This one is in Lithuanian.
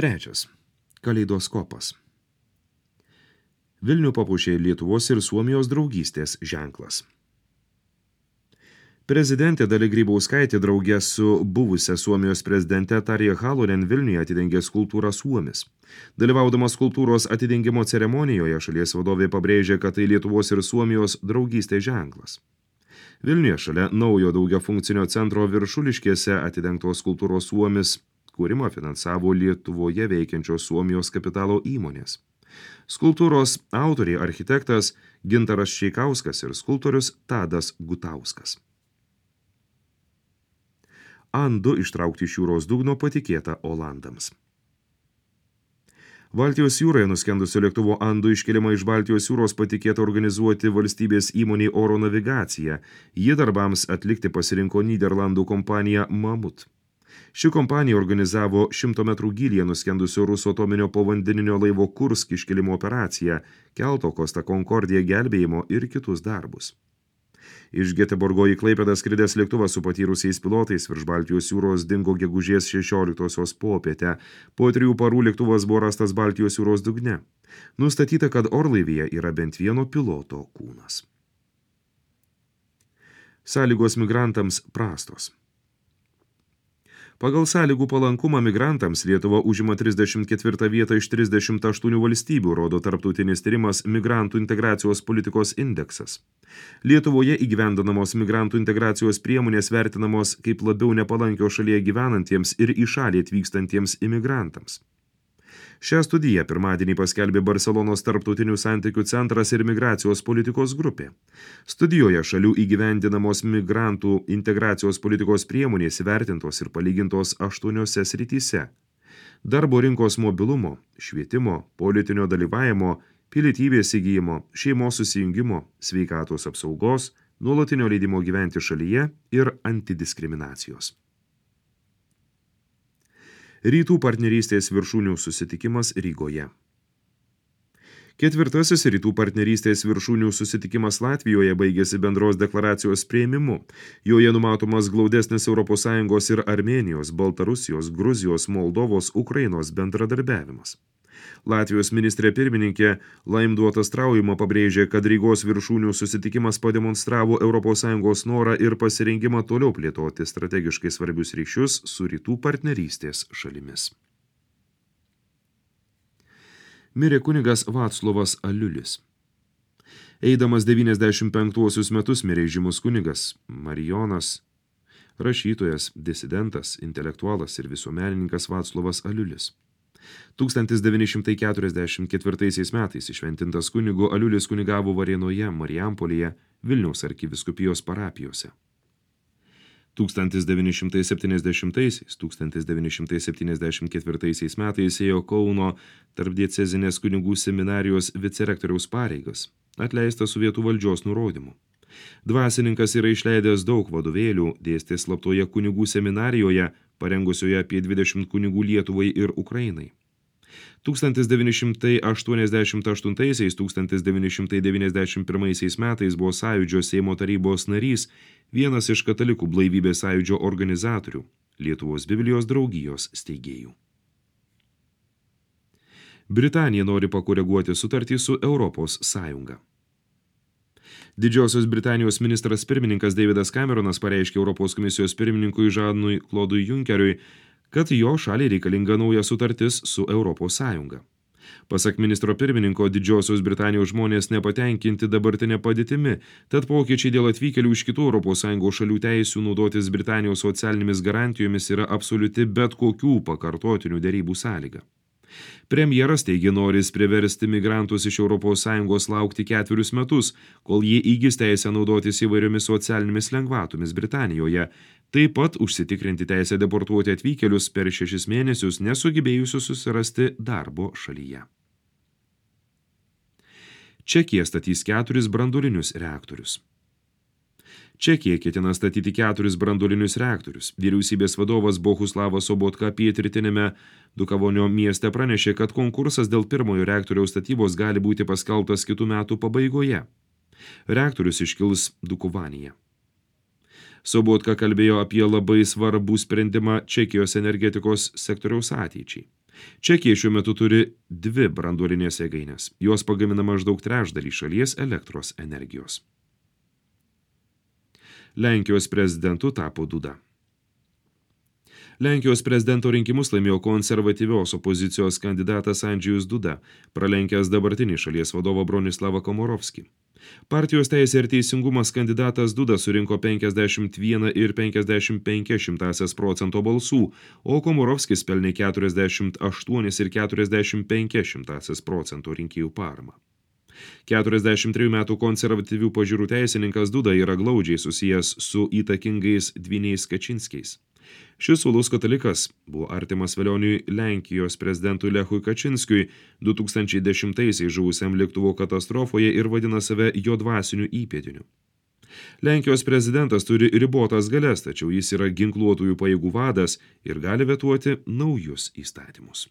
Trečias. Kaleidoskopas. Vilnių papuošė Lietuvos ir Suomijos draugystės ženklas. Prezidentė Dalia Grybauskaitė drauge su buvusia Suomijos prezidente Tarja Halonen Vilniuje atidengė skulptūrą Suomis. Dalyvaudamas skulptūros atidengimo ceremonijoje šalies vadovė pabrėžė, kad tai Lietuvos ir Suomijos draugystės ženklas. Vilniuje šalia naujo daugiafunkcinio centro Viršuliškėse atidengtos skulptūros Suomis kūrimą finansavo Lietuvoje veikiančios Suomijos kapitalo įmonės. Skulptūros autoriai architektas Gintaras Šeikauskas ir skulptorius Tadas Gutauskas. An-2 ištraukti iš jūros dugno patikėta Olandams. Baltijos jūroje nuskendusio lėktuvo An-2 iškelimą iš Baltijos jūros patikėta organizuoti valstybės įmoniai Oro navigacija. Ji darbams atlikti pasirinko Nyderlandų kompanija Mamut. Ši kompanija organizavo 100 metrų gylyje nuskendusio rusų atominio povandeninio laivo Kursk iškelimo operaciją, kelto Costa Concordia gelbėjimo ir kitus darbus. Iš Geteborgo į Klaipėdą skridęs lėktuvas su patyrusiais pilotais virš Baltijos jūros dingo gegužės 16 popietę. Po 3 parų lėktuvas buvo rastas Baltijos jūros dugne. Nustatyta, kad orlaivyje yra bent vieno piloto kūnas. Sąlygos migrantams prastos. Pagal sąlygų palankumą migrantams Lietuva užima 34 vietą iš 38 valstybių, rodo tarptautinis tyrimas Migrantų integracijos politikos indeksas. Lietuvoje įgyvendinamos migrantų integracijos priemonės vertinamos kaip labiau nepalankios šalyje gyvenantiems ir į šalį atvykstantiems imigrantams. Šią studiją pirmadienį paskelbė Barselonos tarptautinių santykių centras ir migracijos politikos grupė. Studijoje šalių įgyvendinamos migrantų integracijos politikos priemonės įvertintos ir palygintos 8 srityse: darbo rinkos mobilumo, švietimo, politinio dalyvavimo, pilietybės įgyjimo, šeimos susijungimo, sveikatos apsaugos, nuolatinio leidimo gyventi šalyje ir antidiskriminacijos. Rytų partnerystės viršūnių susitikimas Rygoje. 4. Rytų partnerystės viršūnių susitikimas Latvijoje baigėsi bendros deklaracijos priėmimu. Joje numatomas glaudesnis ES ir Armėnijos, Baltarusijos, Gruzijos, Moldovos, Ukrainos bendradarbiavimas. Latvijos ministrė pirmininkė Laimduotas Traujuma pabrėžė, kad Rygos viršūnių susitikimas pademonstravo ES norą ir pasirengimą toliau plėtoti strategiškai svarbius ryšius su rytų partnerystės šalimis. Mirė kunigas Vaclovas Aliulis. Eidamas 95 metus mirė žymus kunigas Marijonas, rašytojas, disidentas, intelektualas ir visuomenininkas Vaclovas Aliulis. 1944 metais išventintas kunigu Aliulis kunigavo Varėnoje, Marijampolėje, Vilniaus arkivyskupijos parapijose. 1970–1974 metais ėjo Kauno tarpdiecezinės kunigų seminarijos vicerektoriaus pareigas, atleistas sovietų valdžios nurodymu. Dvasininkas yra išleidęs daug vadovėlių, dėstė slaptoje kunigų seminarijoje, parengusioje apie 20 kunigų Lietuvai ir Ukrainai. 1988–1991 metais buvo Sąjūdžio Seimo tarybos narys, vienas iš katalikų blaivybės sąjūdžio organizatorių, Lietuvos Biblijos draugijos steigėjų. Britanija nori pakoreguoti sutartį su Europos Sąjunga. Didžiosios Britanijos ministras pirmininkas Davidas Cameronas pareiškė Europos komisijos pirmininkui Žanui Klodui Junkeriui, kad jo šaliai reikalinga nauja sutartis su Europos Sąjunga. Pasak ministro pirmininko, Didžiosios Britanijos žmonės nepatenkinti dabartinė padėtimi, tad pokyčiai dėl atvykėlių iš kitų Europos Sąjungos šalių teisių naudotis Britanijos socialinėmis garantijomis yra absoliuti bet kokių pakartotinių derybų sąlyga. Premjeras teigė noris priversti migrantus iš ES laukti 4 metus, kol jie įgis teisę naudotis įvairiomis socialinėmis lengvatomis Britanijoje, taip pat užsitikrinti teisę deportuoti atvykėlius per 6 mėnesius nesugebėjusius susirasti darbo šalyje. Čekija statys 4 branduolinius reaktorius. Čekija ketina statyti 4 branduolinius reaktorius. Vyriausybės vadovas Bohuslavas Sobotka pietrytiniame Dukavonio mieste pranešė, kad konkursas dėl pirmojo reaktoriaus statybos gali būti paskelbtas kitų metų pabaigoje. Reaktorius iškils Dukovanyje. Sobotka kalbėjo apie labai svarbų sprendimą Čekijos energetikos sektoriaus ateičiai. Čekija šiuo metu turi 2 branduolinės jėgainės. Jos pagamina maždaug trečdalį šalies elektros energijos. Lenkijos prezidentu tapo Duda. Lenkijos prezidento rinkimus laimėjo konservatyvios opozicijos kandidatas Andžejus Duda, pralenkęs dabartinį šalies vadovą Bronislavą Komorovskį. Partijos Teisė ir teisingumas kandidatas Duda surinko 51,55% balsų, o Komorovskis pelnė 48,45% rinkėjų paramą. 43 metų konservatyvių pažiūrų teisininkas Duda yra glaudžiai susijęs su įtakingais dvyniais Kačinskiais. Šis uolus katalikas buvo artimas vėlioniui Lenkijos prezidentui Lechui Kačinskiui 2010-aisiais žuvusiam lėktuvo katastrofoje ir vadina save jo dvasiniu įpėdiniu. Lenkijos prezidentas turi ribotas galias, tačiau jis yra ginkluotųjų pajėgų vadas ir gali vetuoti naujus įstatymus.